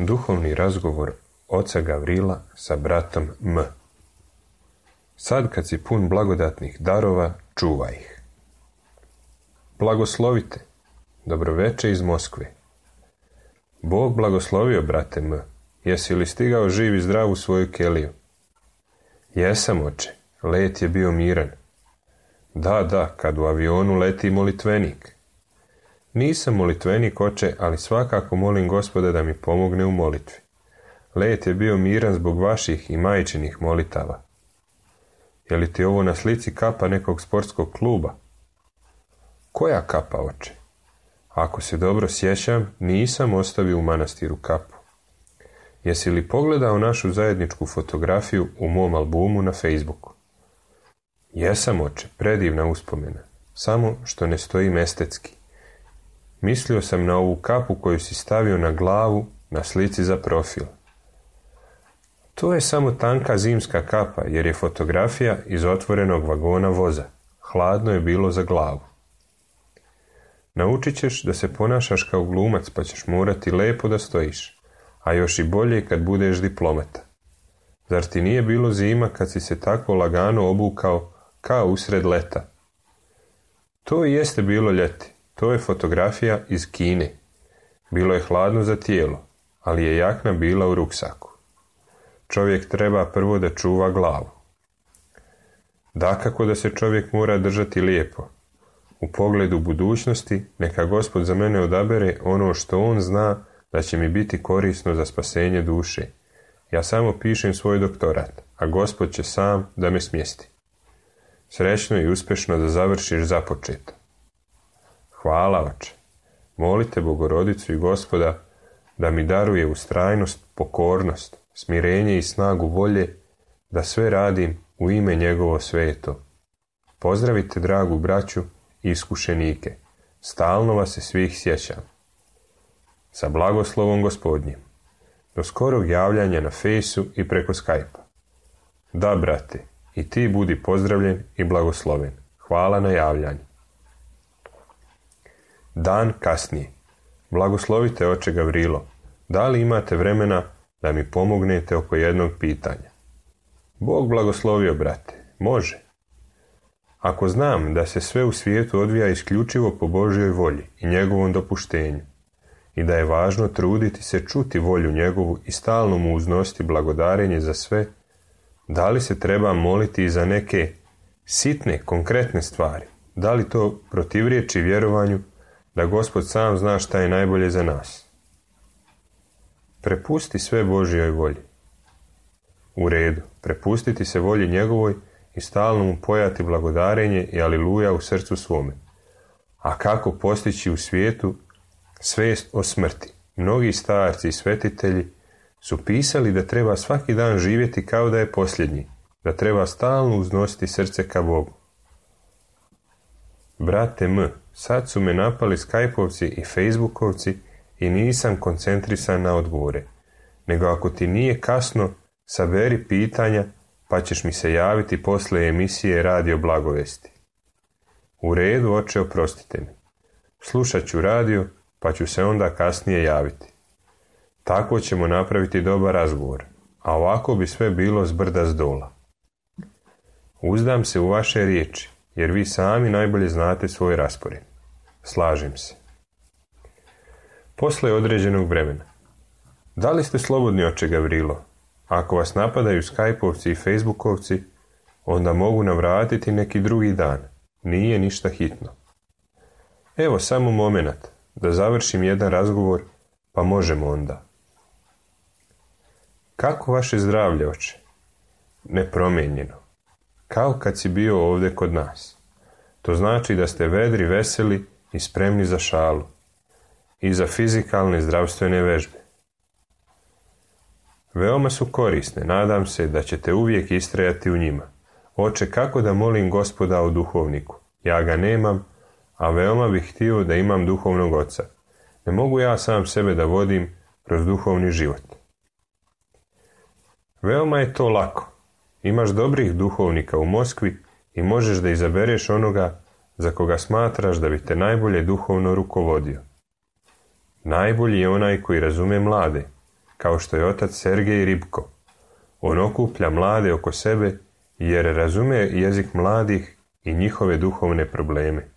Duhovni razgovor oca Gavrila sa bratom M. Sad kad si pun blagodatnih darova, čuvaj ih. Blagoslovite. Dobroveče iz Moskve. Bog blagoslovio, brate M. Jesi li stigao živ i zdrav u svoju keliju? Jesam, oče. Let je bio miran. Da, kad u avionu leti molitvenik. Nisam molitvenik, oče, ali svakako molim Gospoda da mi pomogne u molitvi. Let je bio miran zbog vaših i majčinih molitava. Je li ti ovo na slici kapa nekog sportskog kluba? Koja kapa, oče? Ako se dobro sjećam, nisam ostavio u manastiru kapu. Jesi li pogledao našu zajedničku fotografiju u mom albumu na Facebooku? Jesam, oče, predivna uspomena, samo što ne stojim estetski. Mislio sam na ovu kapu koju si stavio na glavu na slici za profil. To je samo tanka zimska kapa, jer je fotografija iz otvorenog vagona voza. Hladno je bilo za glavu. Naučit ćeš da se ponašaš kao glumac, pa ćeš morati lepo da stojiš, a još i bolje kad budeš diplomata. Zar ti nije bilo zima kad si se tako lagano obukao kao usred leta? To i jeste bilo ljeti. To je fotografija iz Kine. Bilo je hladno za tijelo, ali je jakna bila u ruksaku. Čovjek treba prvo da čuva glavu. Dakako da se čovjek mora držati lijepo. U pogledu budućnosti neka Gospod za mene odabere ono što on zna da će mi biti korisno za spasenje duše. Ja samo pišem svoj doktorat, a Gospod će sam da me smjesti. Srećno i uspješno da završiš započeto. Hvala, oče. Molite Bogorodicu i Gospoda da mi daruje ustrajnost, pokornost, smirenje i snagu volje da sve radim u ime njegovo sveto. Pozdravite dragu braću i iskušenike. Stalno vas se svih sjećam. Sa blagoslovom Gospodnjim. Do skorog javljanja na fejsu i preko Skype-a. Da, brate, i ti budi pozdravljen i blagosloven. Hvala na javljanju. Dan kasnije. Blagoslovite oče Gavrilo. Da li imate vremena da mi pomognete oko jednog pitanja? Bog blagoslovio, brate. Može. Ako znam da se sve u svijetu odvija isključivo po Božjoj volji i njegovom dopuštenju i da je važno truditi se čuti volju njegovu i stalno mu uznositi blagodarenje za sve, da li se treba moliti i za neke sitne, konkretne stvari? Da li to protivriječi vjerovanju da Gospod sam zna šta je najbolje za nas? Prepusti sve Božjoj volji. U redu, prepustiti se volji njegovoj i stalno mu pojati blagodarenje i aliluja u srcu svome. A kako postići u svijetu svijest o smrti? Mnogi starci i svetitelji su pisali da treba svaki dan živjeti kao da je posljednji, da treba stalno uznositi srce ka Bogu. Brate M, sad su me napali Skypeovci i Facebookovci i nisam koncentrisan na odgovore, nego ako ti nije kasno, saberi pitanja pa ćeš mi se javiti posle emisije Radio Blagovesti. U redu, oče, oprostite mi. Slušat ću radio, pa ću se onda kasnije javiti. Tako ćemo napraviti dobar razgovor, a ovako bi sve bilo zbrda zdola. Uzdam se u vaše riječi, jer vi sami najbolje znate svoj raspored. Slažem se. Posle određenog vremena. Da li ste slobodni, oče Gavrilo? Ako vas napadaju Skypeovci i Facebookovci, onda mogu navratiti neki drugi dan. Nije ništa hitno. Evo samo momenat, da završim jedan razgovor, pa možemo onda. Kako vaše zdravlje, oče? Nepromijenjeno. Kao kad si bio ovdje kod nas. To znači da ste vedri, veseli i spremni za šalu. I za fizikalne zdravstvene vežbe. Veoma su korisne, nadam se da ćete uvijek istrajati u njima. Oče, kako da molim Gospoda o duhovniku? Ja ga nemam, a veoma bih htio da imam duhovnog oca. Ne mogu ja sam sebe da vodim kroz duhovni život. Veoma je to lako. Imaš dobrih duhovnika u Moskvi i možeš da izabereš onoga za koga smatraš da bi te najbolje duhovno rukovodio. Najbolji je onaj koji razume mlade, kao što je otac Sergej Ribko. On okuplja mlade oko sebe jer razume jezik mladih i njihove duhovne probleme.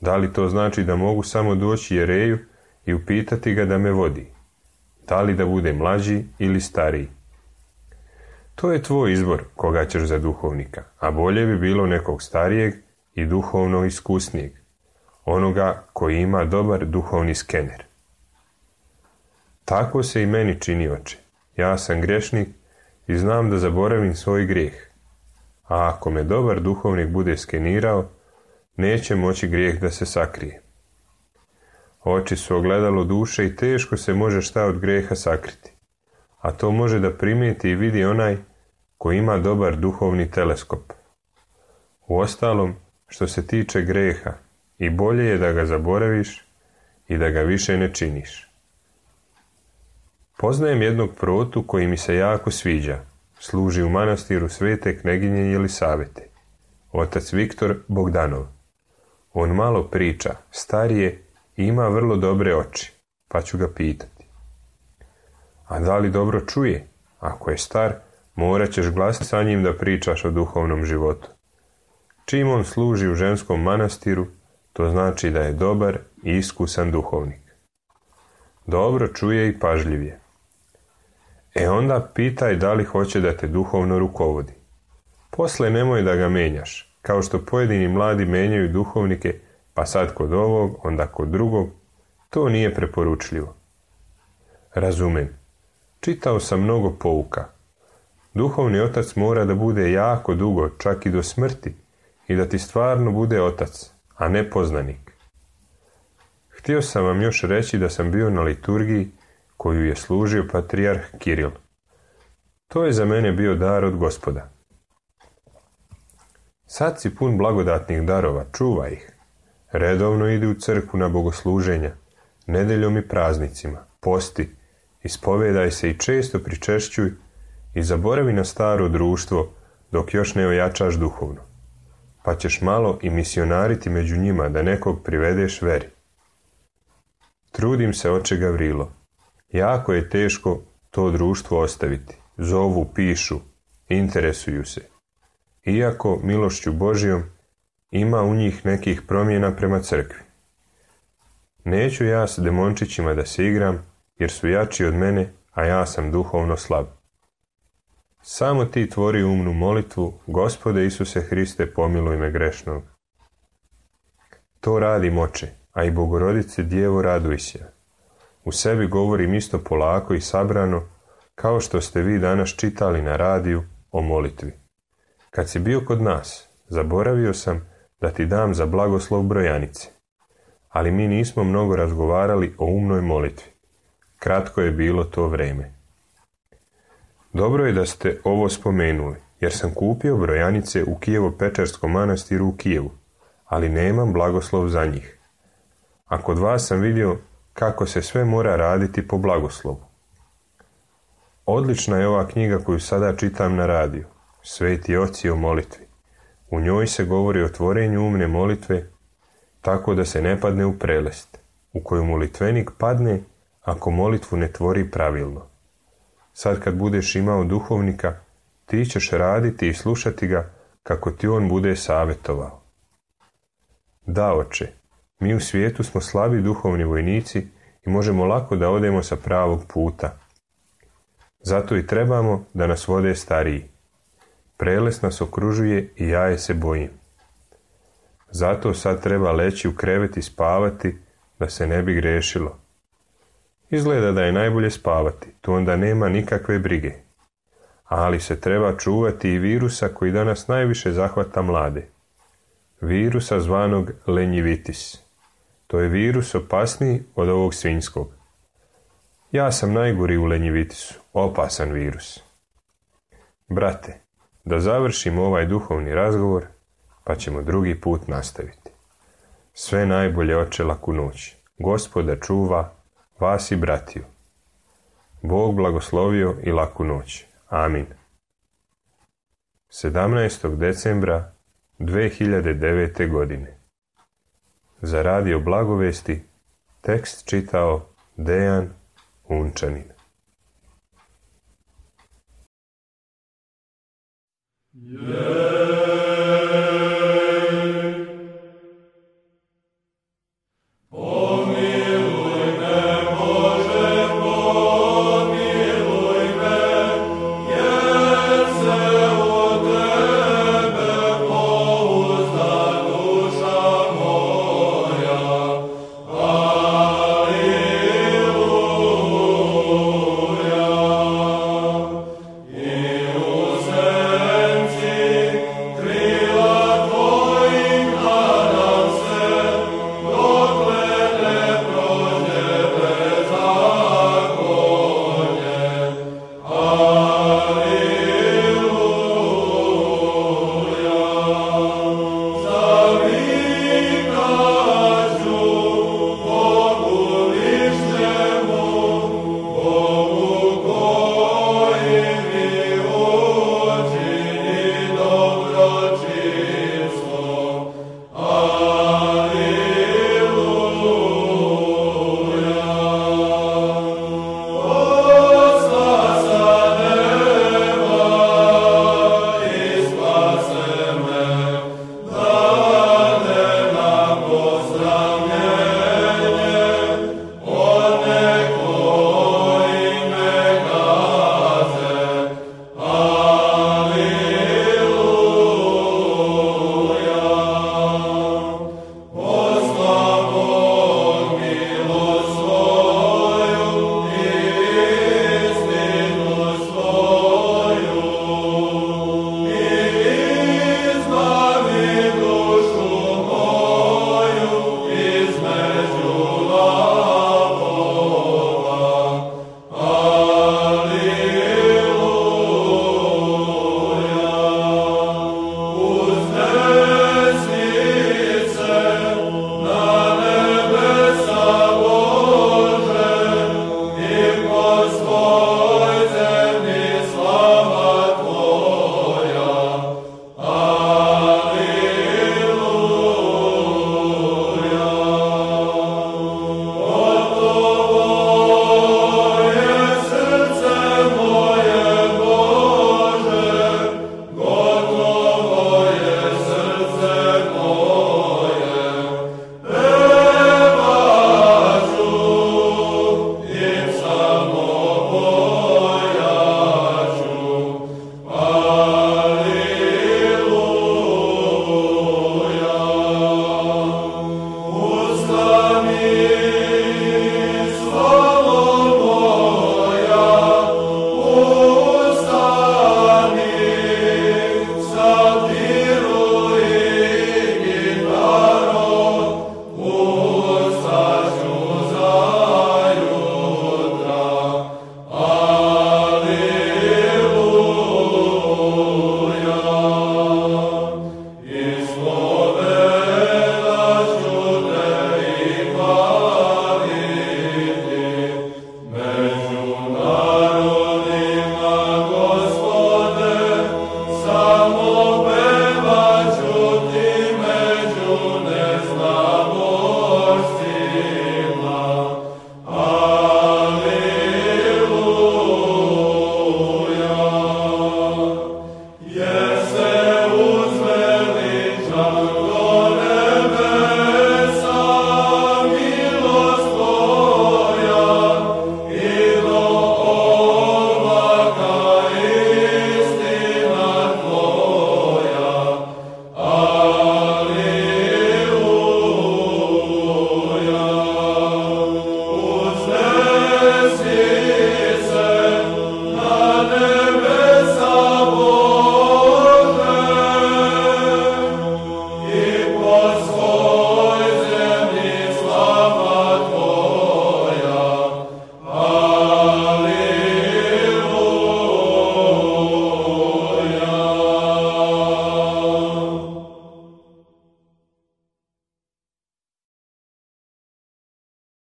Da li to znači da mogu samo doći jereju i upitati ga da me vodi? Da li da bude mlađi ili stariji? To je tvoj izbor koga ćeš za duhovnika, a bolje bi bilo nekog starijeg i duhovno iskusnijeg, onoga koji ima dobar duhovni skener. Tako se i meni čini, oče. Ja sam grešnik i znam da zaboravim svoj grijeh. A ako me dobar duhovnik bude skenirao, neće moći grijeh da se sakrije. Oči su ogledalo duše i teško se može šta od grijeha sakriti. A to može da primijeti i vidi onaj koji ima dobar duhovni teleskop. Uostalom, što se tiče grijeha, i bolje je da ga zaboraviš i da ga više ne činiš. Poznajem jednog protu koji mi se jako sviđa. Služi u manastiru Svete kneginje Jelisavete. Otac Viktor Bogdanov. On malo priča, star je i ima vrlo dobre oči, pa ću ga pitati. A da li dobro čuje? Ako je star, morat ćeš glasiti sa njim da pričaš o duhovnom životu. Čim on služi u ženskom manastiru, to znači da je dobar i iskusan duhovnik. Dobro čuje i pažljiv je. Onda pitaj da li hoće da te duhovno rukovodi. Posle nemoj da ga menjaš, kao što pojedini mladi menjaju duhovnike, pa sad kod ovog, onda kod drugog. To nije preporučljivo. Razumem. Čitao sam mnogo pouka. Duhovni otac mora da bude jako dugo, čak i do smrti, i da ti stvarno bude otac, a ne poznanik. Htio sam vam još reći da sam bio na liturgiji koju je služio patrijarh Kiril. To je za mene bio dar od Gospoda. Sad si pun blagodatnih darova, čuvaj ih. Redovno idi u crkvu na bogosluženja, nedeljom i praznicima, posti, ispovedaj se i često pričešćuj i zaboravi na staro društvo dok još ne ojačaš duhovno. Pa ćeš malo i misionariti među njima da nekog privedeš veri. Trudim se, oče Gavrilo. Jako je teško to društvo ostaviti. Zovu, pišu, interesuju se. Iako milošću Božijom ima u njih nekih promjena prema crkvi. Neću ja s demončićima da se igram, jer su jači od mene, a ja sam duhovno slab. Samo ti tvori umnu molitvu, Gospode Isuse Hriste, pomiluj me grešnog. To radim, oče, a i Bogorodice Djevo, raduj se. U sebi govorim isto polako i sabrano, kao što ste vi danas čitali na radiju o molitvi. Kad si bio kod nas, zaboravio sam da ti dam za blagoslov brojanice. Ali mi nismo mnogo razgovarali o umnoj molitvi. Kratko je bilo to vrijeme. Dobro je da ste ovo spomenuli, jer sam kupio brojanice u Kijevo-Pečarskom manastiru u Kijevu, ali nemam blagoslov za njih. A kod vas sam vidio kako se sve mora raditi po blagoslovu. Odlična je ova knjiga koju sada čitam na radiju, Sveti oci o molitvi. U njoj se govori o tvorenju umne molitve, tako da se ne padne u prelest, u koju molitvenik padne ako molitvu ne tvori pravilno. Sad kad budeš imao duhovnika, ti ćeš raditi i slušati ga kako ti on bude savjetovao. Da, oče, mi u svijetu smo slabi duhovni vojnici i možemo lako da odemo sa pravog puta. Zato i trebamo da nas vode stariji. Prelest nas okružuje i ja je se bojim. Zato sad treba leći u krevet i spavati da se ne bi grešilo. Izgleda da je najbolje spavati, tu onda nema nikakve brige. Ali se treba čuvati i virusa koji danas najviše zahvata mlade. Virusa zvanog lenjivitis. To je virus opasniji od ovog svinjskog. Ja sam najgori u lenjivitisu, opasan virus. Brate, da završimo ovaj duhovni razgovor, pa ćemo drugi put nastaviti. Sve najbolje, oče, laku noć. Gospoda čuva vas i bratiju. Bog blagoslovio i laku noć. Amin. 17. decembra 2009. godine. Za radio Blagovesti tekst čitao Dejan Unčanin. Yeah.